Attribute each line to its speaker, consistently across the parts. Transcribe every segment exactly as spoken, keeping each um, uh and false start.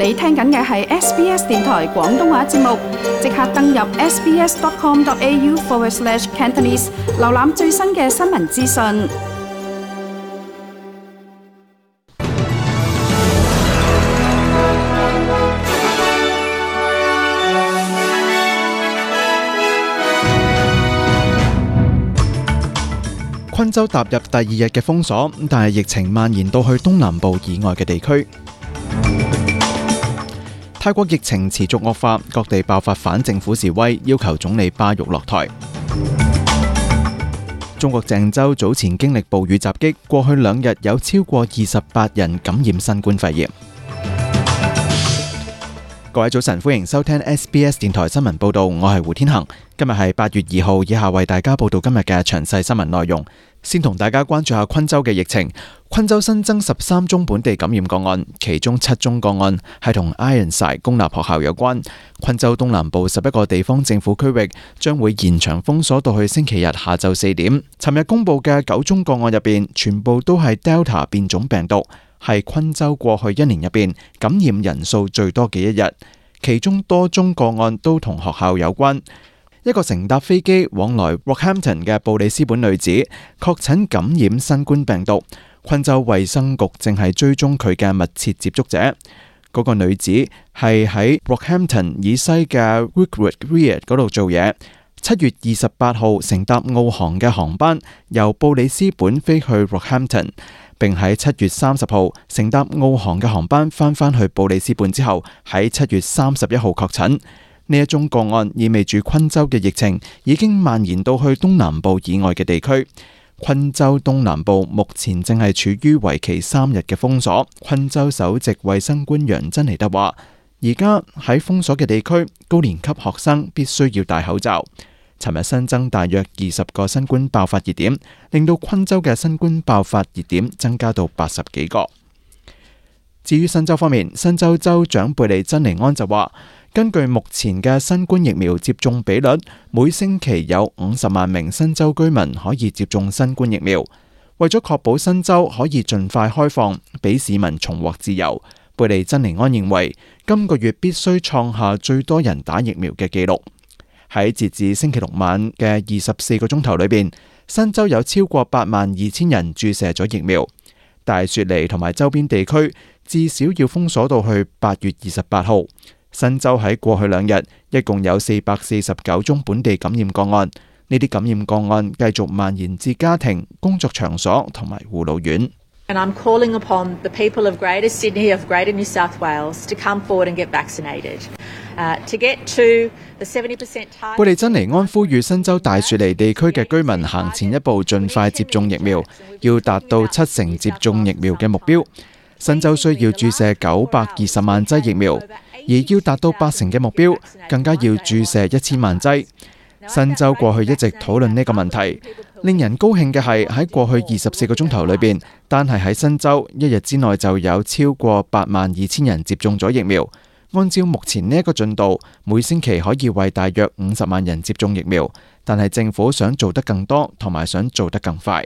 Speaker 1: 你聽緊嘅係 S B S 電台廣東話節目，即刻登入 sbs.com.au forward slash Cantonese， 瀏覽最新嘅新聞資訊。
Speaker 2: 昆州踏入第二日嘅封鎖，但係疫情蔓延到去東南部以外嘅地區。泰國疫情持續惡化，各地爆發反政府示威，要求總理巴育落台。中國鄭州早前經歷暴雨襲擊，過去兩日有超過二十八人感染新冠肺炎。各位早晨，歡迎收聽 S B S 電台新聞報道，我係胡天恒。今日係八月二號，以下為大家報道今日嘅詳細新聞內容。先同大家關注下昆州嘅疫情。昆州新增十三宗本地感染個案，其中七宗個案係同 Ironside 公立學校有關。昆州東南部十一個地方政府區域將會延長封鎖到去星期日下晝四點。尋日公布嘅九宗個案入邊，全部都係 Delta 變種病毒，係昆州過去一年入邊感染人數最多嘅一日。其中多宗個案都同學校有關。一個乘搭飛機往來 Rockhampton 嘅布里斯本女子確診感染新冠病毒，昆州衛生局正係追蹤佢嘅密切接觸者。嗰、那個女子係喺 Rockhampton 以西嘅 Wickwood Weir 嗰度做嘢。七月二十八號乘搭澳航嘅航班由布里斯本飛去 Rockhampton， 並喺七月三十號乘搭澳航嘅航班翻返去布里斯本之後，喺七月三十一號確診。呢一宗個案意味住昆州嘅疫情已經蔓延到去東南部以外嘅地區。昆州東南部目前正係處於為期三日嘅封鎖。昆州首席衛生官楊珍妮特話，而家喺封鎖嘅地區，高年級學生必須要戴口罩。尋日新增大約二十個新冠爆發熱點，令到昆州嘅新冠爆發熱點增加到八十幾個。至於新州方面，新州州長貝利珍尼安就話，根據目前嘅新冠疫苗接種比率，每星期有五十萬名新州居民可以接種新冠疫苗。為咗確保新州可以盡快開放，俾市民重獲自由，貝利珍尼安認為今個月必須創下最多人打疫苗嘅紀錄。喺截至星期六晚嘅二十四個鐘頭裏邊，新州有超過八萬二千人注射咗疫苗。大雪梨同埋周邊地區至少要封鎖到去八月二十八號。新州喺過去兩日一共有四百四十九宗本地感染個案，呢啲感染個案繼續蔓延至家庭、工作場所同埋護老院。
Speaker 3: And I'm calling upon the people of Greater Sydney, of Greater New South Wales, to come forward and get vaccinated. Uh, to get to the seventy percent target.
Speaker 2: 貝利珍尼安呼籲新州大雪梨地區嘅居民行前一步，盡快接種疫苗，要達到七成接種疫苗嘅目標。新州需要注射九百二十萬劑疫苗，而要達到八成嘅目標，更加要注射一千萬劑。新州過去一直討論呢個問題。令人高興嘅係喺過去二十四個鐘頭裏邊，單係喺新州一日之內就有超過八萬二千人接種咗疫苗。按照目前呢一個進度，每星期可以為大約五十萬人接種疫苗，但係政府想做得更多，同埋想做得更快。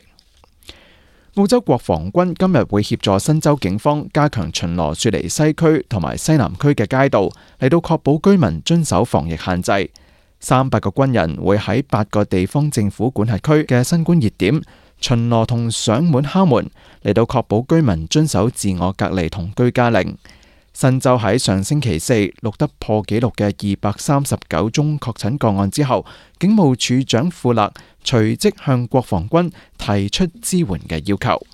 Speaker 2: 澳洲國防軍今日會協助新州警方加強巡邏雪梨西區同埋西南區嘅街道，嚟到確保居民遵守防疫限制。三百個軍人會喺八個地方政府管轄區嘅新冠熱點巡邏同上門敲門，嚟到確保居民遵守自我隔離同居家令。新州喺上星期四錄得破紀錄嘅二百三十九宗確診個案之後，警務處長庫勒隨即向國防軍提出支援嘅要求。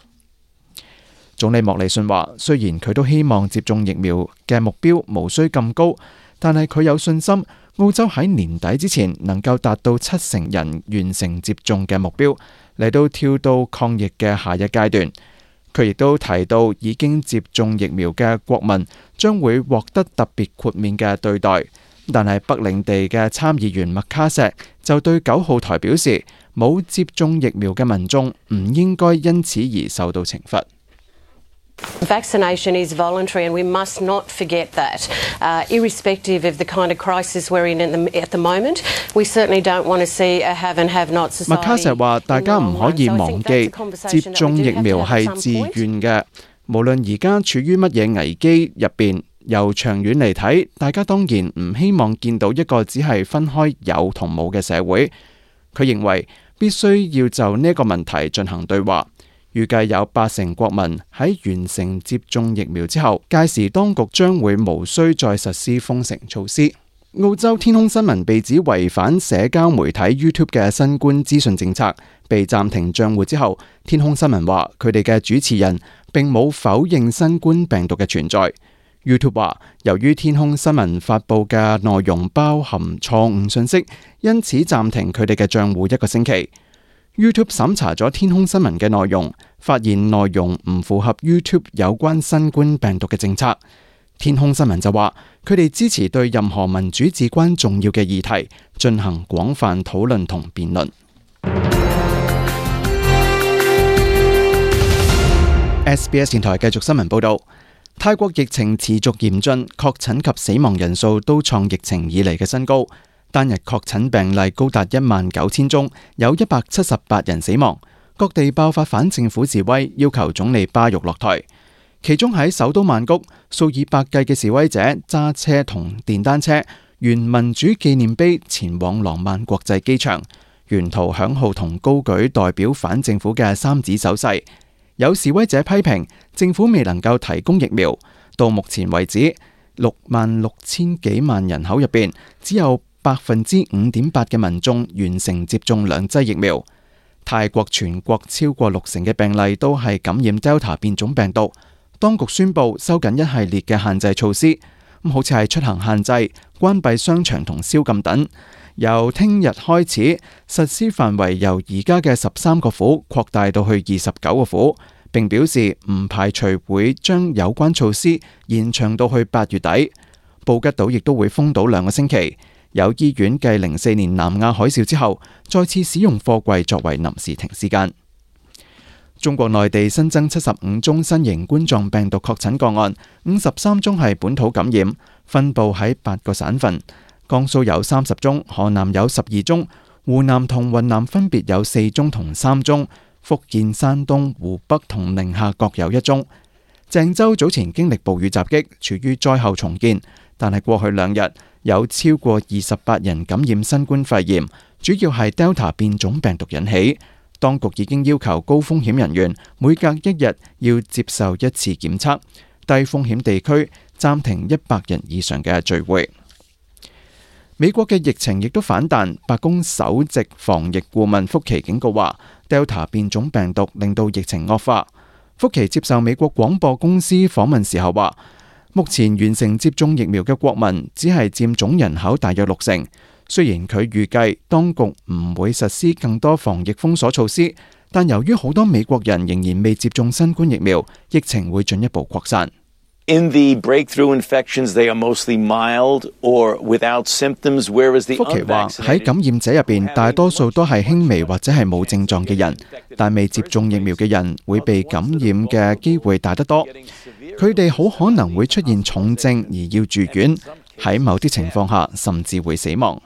Speaker 2: 總理莫里遜話，雖然佢都希望接種疫苗嘅目標無需咁高，但係佢有信心澳洲喺年底之前能夠達到七成人完成接種嘅目標，嚟到跳到抗疫嘅下一階段。佢亦都提到，已經接種疫苗嘅國民將會獲得特別豁免嘅對待，但係北領地嘅參議員麥卡錫就對九號台表示，冇接種疫苗嘅民眾唔應該因此而受到懲罰。
Speaker 4: Vaccination is voluntary and we must not forget that. Uh, irrespective of the kind of crisis we're in at the, at the moment, we certainly don't want to see a have and have not society.
Speaker 2: 麥卡錫話：大家唔可以忘記接種疫苗係自願嘅，無論而家處於乜嘢危機入邊，由長遠嚟睇，大家當然唔希望見到一個只係分開有同冇嘅社會。佢認為必須要就呢個問題進行對話。預計有八成國民喺完成接種疫苗之後，屆時當局將會無需再實施封城措施。澳洲天空新聞被指違反社交媒體 YouTube 嘅新冠資訊政策，被暫停賬戶之後，天空新聞話佢哋嘅主持人並冇否認新冠病毒嘅存在。YouTube 話，由於天空新聞發佈嘅內容包含錯誤信息，因此暫停佢哋嘅賬戶一個星期。YouTube 審查咗天空新聞嘅內容，發現內容唔符合 YouTube 有關新冠病毒嘅政策。天空新聞就話，佢哋支持對任何民主至關重要嘅議題進行廣泛討論同辯論。S B S 電台繼續新聞報道，泰國疫情持續嚴峻，確診及死亡人數都創疫情以嚟嘅新高。單日確診病例高達一萬九千宗，有一百七十八人死亡。各地爆發反政府示威，要求總理巴育落台。其中喺首都曼谷，數以百計嘅示威者揸車同電單車沿民主紀念碑前往廊曼國際機場，沿途響號同高舉代表反政府嘅三指手勢。有示威者批評政府未能夠提供疫苗，到目前為止，六萬六千幾萬人口入邊，只有百分之五點八嘅民眾完成接種兩劑疫苗。泰國全國超過六成嘅病例都係感染 Delta 變種病毒。當局宣布收緊一系列嘅限制措施，咁好似係出行限制、關閉商場同宵禁等。由聽日開始實施範圍由而家嘅十三個府擴大到去二十九個府，並表示唔排除會將有關措施延長到去八月底。布吉島亦都會封島兩個星期。有醫院繼零四年南亞海嘯之後，再次使用貨櫃作為臨時停屍間。中國內地新增七十五宗新型冠狀病毒確診個案，五十三宗係本土感染，分佈喺八個省份。江蘇有三十宗，河南有十二宗，湖南同雲南分別有四宗同三宗，福建、山東、湖北同寧夏各有一宗。鄭州早前經歷暴雨襲擊，處於災後重建，但係過去兩日有超過二十八人感染新冠肺炎，主要係 Delta 變種病毒引起。當局已經要求高風險人員每隔一日要接受一次檢測，低風險地區暫停一百人以上嘅聚會。美國嘅疫情亦都反彈，白宮首席防疫顧問福奇警告話 ，Delta 變種病毒令到疫情惡化。福奇接受美國廣播公司訪問時候話，目前完成接種疫苗嘅國民只係佔總人口大約六成。雖然佢預計當局唔會實施更多防疫封鎖措施，但由於好多美國人仍然未接種新冠疫苗，疫情會進一步擴散。
Speaker 5: In the breakthrough infections, they are mostly mild or without symptoms, whereas the
Speaker 2: 福奇話喺感染者入邊，大多數都係輕微或者係冇症狀嘅人，但未接種疫苗嘅人會被感染嘅機會大得多。佢哋好可能會出現重症而要住院，喺某啲情況下甚至會死亡。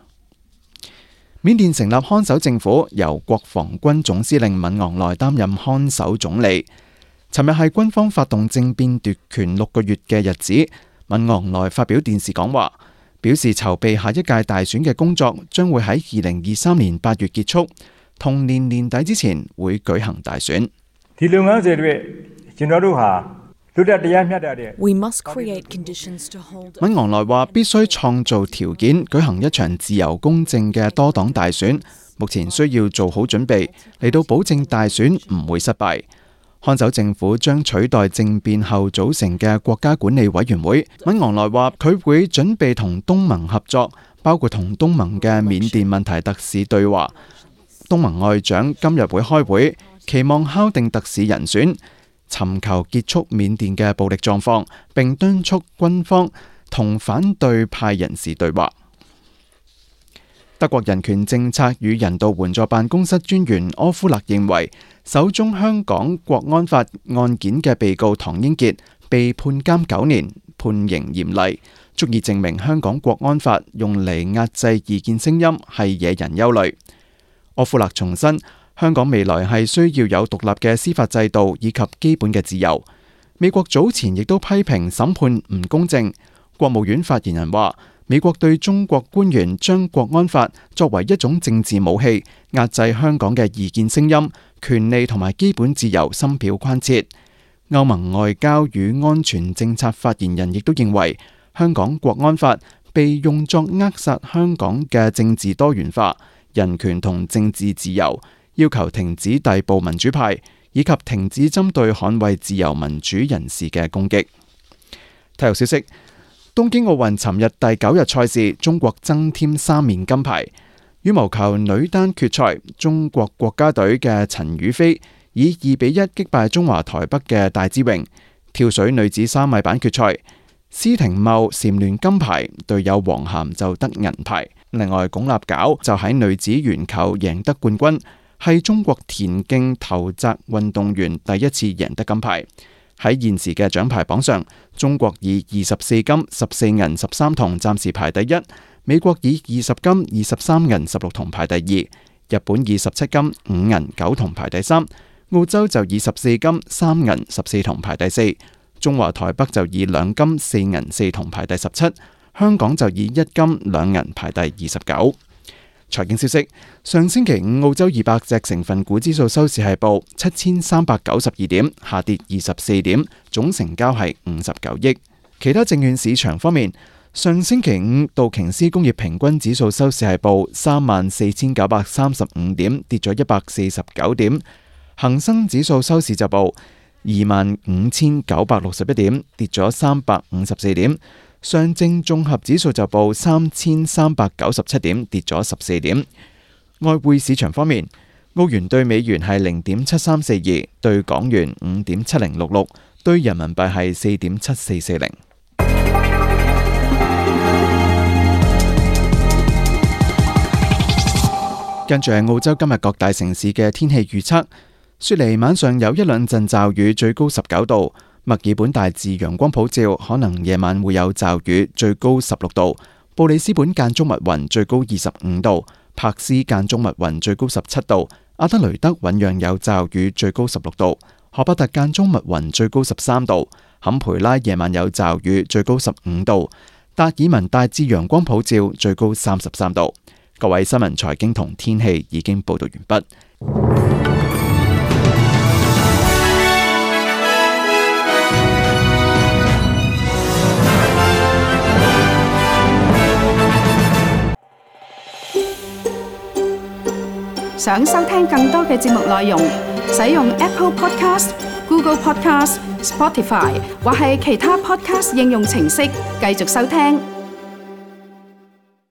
Speaker 2: 緬甸成立看守政府，由國防軍總司令敏昂萊擔任看守總理。尋日係軍方發動政變奪權六個月嘅日子，敏昂萊發表電視講話，表示籌備下一屆大選嘅工作將會喺二零二三年八月結束，同年年底之前會舉行大選。
Speaker 6: We must create conditions to hold.
Speaker 2: 敏昂萊話必須創造條件舉行一場自由公正嘅多黨大選，目前需要做好準備嚟到保證大選唔會失敗。看守政府將取代政變後組成嘅國家管理委員會。敏昂萊話佢會準備同東盟合作，包括同東盟嘅緬甸問題特使對話。東盟外長今日會開會，期望敲定特使人選，尋求結束緬甸嘅暴力狀況，並敦促軍方同反對派人士對話。德國人權政策與人道援助辦公室專員柯夫勒認為，首宗香港國安法案件嘅被告唐英傑被判監九年，判刑嚴厲，足以證明香港國安法用嚟壓制異見聲音係惹人憂慮。柯夫勒重申，香港未來係需要有獨立嘅司法制度以及基本嘅自由。美國早前亦都批評審判唔公正。國務院發言人話，美國對中國官員將國安法作為一種政治武器，壓制香港嘅異見聲音、權利同埋基本自由，深表關切。歐盟外交與安全政策發言人亦都認為，香港國安法被用作扼殺香港嘅政治多元化、人權同政治自由，要求停止逮捕民主派，以及停止針對捍衛自由民主人士嘅攻擊。體育消息，東京奧運尋日第九日賽事，中國增添三面金牌。羽毛球女單決賽，中國國家隊嘅陳雨菲以二比一擊敗中華台北嘅戴資穎。跳水女子三米板決賽，施廷懋蟬聯金牌，隊友黃涵就得銀牌。另外，鞏立姣就喺女子鉛球贏得冠軍，係中國田徑投擲運動員第一次贏得金牌。喺現時嘅獎牌榜上，中國以二十四金、十四銀、十三銅暫時排第一；美國以二十金、二十三銀、十六銅排第二；日本以十七金、五銀、九銅排第三；澳洲就以十四金、三銀、十四銅排第四；中華台北就以兩金、四銀、四銅排第十七；香港就以一金、兩銀排第二十九。財經消息，上星期五澳洲二百隻成分股指數收市係報七千三百九十二點，下跌二十四點，總成交係五十九億。其他證券市場方面，上星期五道瓊斯工業平均指數收市係報三萬四千九百三十五點，跌咗一百四十九點；恒生指數收市就報二萬五千九百六十一點，跌咗三百五十四點。上證綜合指數就報三千三百九十七點，跌咗十四點。外匯市場方面，澳元對美元係零點七三四二，對港元五點七零六六，對人民幣係四點七四四零。跟住係澳洲今日各大城市嘅天氣預測：雪梨晚上有一兩陣驟雨，最高十九度。墨爾本大致陽光普照，可能夜晚會有驟雨，最高十六度。布里斯本間中密雲，最高二十五度。柏斯間中密雲，最高十七度。阿德雷德醞釀有驟雨，最高十六度。荷伯特間中密雲，最高十三度。坎培拉夜晚有驟雨，最高十五度。達爾文大致陽光普照，最高三十三度。各位新聞財經同天氣已經報道完畢。
Speaker 1: 想收聽更多嘅節目內容，使用 Apple Podcast、Google Podcast、Spotify 或係其他 Podcast 應用程式繼續收聽。